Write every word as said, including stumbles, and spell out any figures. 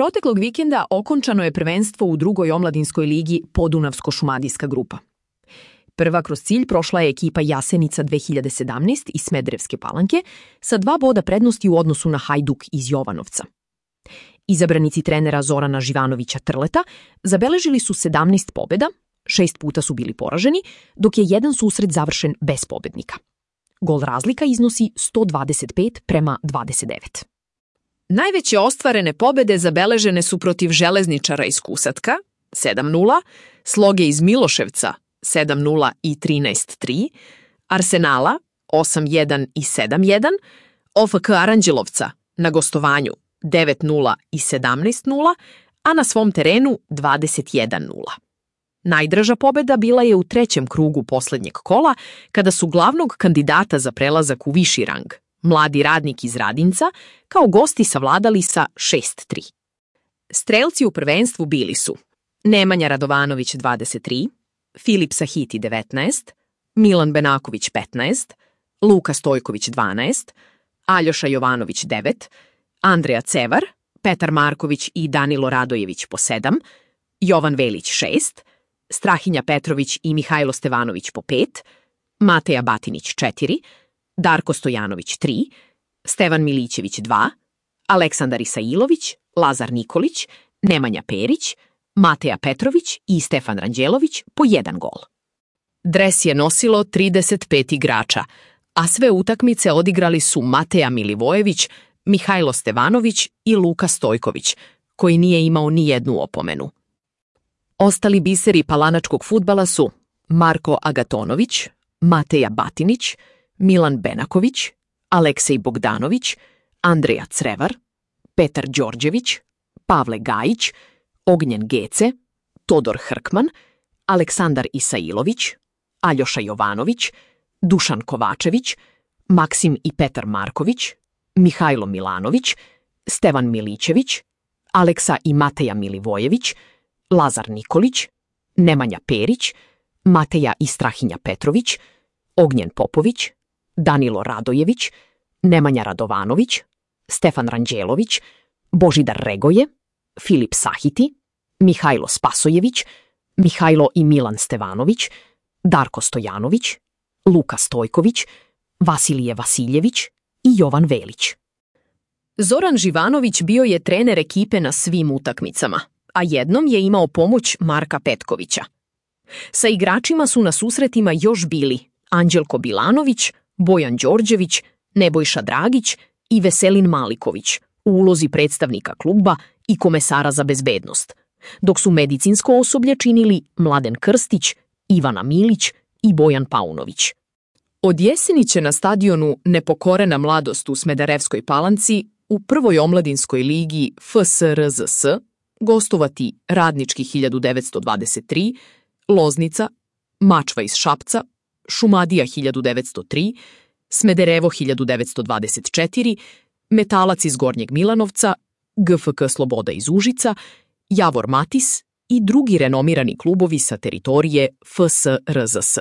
proteklog vikenda okončano je prvenstvo u drugoj omladinskoj ligi Podunavsko-šumadijska grupa. Prva kroz cilj prošla je ekipa Jasenica dve hiljade sedamnaest iz Smederevske Palanke sa dva boda prednosti u odnosu na Hajduk iz Jovanovca. Izabranici trenera Zorana Živanovića Trleta zabeležili su sedamnaest pobjeda, šest puta su bili poraženi, dok je jedan susret završen bez pobednika. Gol razlika iznosi sto dvadeset pet prema dvadeset devet. Najveće ostvarene pobjede zabeležene su protiv Železničara iz Kusatka sedam nula, Sloge iz Miloševca sedam nula i trinaest tri, Arsenala osam jedan i sedam jedan, O F K Aranđelovca na gostovanju devet nula i sedamnaest nula, a na svom terenu dvadeset jedan nula. Najdraža pobjeda bila je u trećem krugu posljednjeg kola, kada su glavnog kandidata za prelazak u viši rang, Mladi Radnik iz Radinca, kao gosti savladali sa šest tri. Strelci u prvenstvu bili su Nemanja Radovanović dvadeset tri, Filip Sahiti devetnaest, Milan Benaković petnaest, Luka Stojković dvanaest, Aljoša Jovanović devet, Andreja Cevar, Petar Marković i Danilo Radojević po sedam, Jovan Velić šest, Strahinja Petrović i Mihajlo Stevanović po pet, Mateja Batinić četiri, Darko Stojanović tri, Stevan Milićević dva, Aleksandar Isailović, Lazar Nikolić, Nemanja Perić, Mateja Petrović i Stefan Ranđelović po jedan gol. Dres je nosilo trideset pet igrača, a sve utakmice odigrali su Mateja Milivojević, Mihajlo Stevanović i Luka Stojković, koji nije imao ni jednu opomenu. Ostali biseri palanačkog fudbala su Marko Agatonović, Mateja Batinić, Milan Benaković, Aleksej Bogdanović, Andreja Crevar, Petar Đorđević, Pavle Gajić, Ognjen Gece, Todor Hrkman, Aleksandar Isailović, Aljoša Jovanović, Dušan Kovačević, Maksim i Petar Marković, Mihajlo Milanović, Stevan Milićević, Aleksa i Mateja Milivojević, Lazar Nikolić, Nemanja Perić, Mateja i Strahinja Petrović, Ognjen Popović, Danilo Radojević, Nemanja Radovanović, Stefan Ranđelović, Božidar Regoje, Filip Sahiti, Mihajlo Spasojević, Mihajlo i Milan Stevanović, Darko Stojanović, Luka Stojković, Vasilije Vasiljević i Jovan Velić. Zoran Živanović bio je trener ekipe na svim utakmicama, a jednom je imao pomoć Marka Petkovića. Sa igračima su na susretima još bili Anđelko Bilanović, Bojan Đorđević, Nebojša Dragić i Veselin Maliković u ulozi predstavnika kluba i komesara za bezbednost, dok su medicinsko osoblje činili Mladen Krstić, Ivana Milić i Bojan Paunović. Od jeseni će na stadionu Nepokorena mladost u Smederevskoj Palanci u prvoj omladinskoj ligi F S R Z S gostovati Radnički hiljadu devetsto dvadeset tri, Loznica, Mačva iz Šapca, Šumadija hiljadu devetsto tri, Smederevo hiljadu devetsto dvadeset četiri, Metalac iz Gornjeg Milanovca, G F K Sloboda iz Užica, Javor Matis i drugi renomirani klubovi sa teritorije F S R Z S.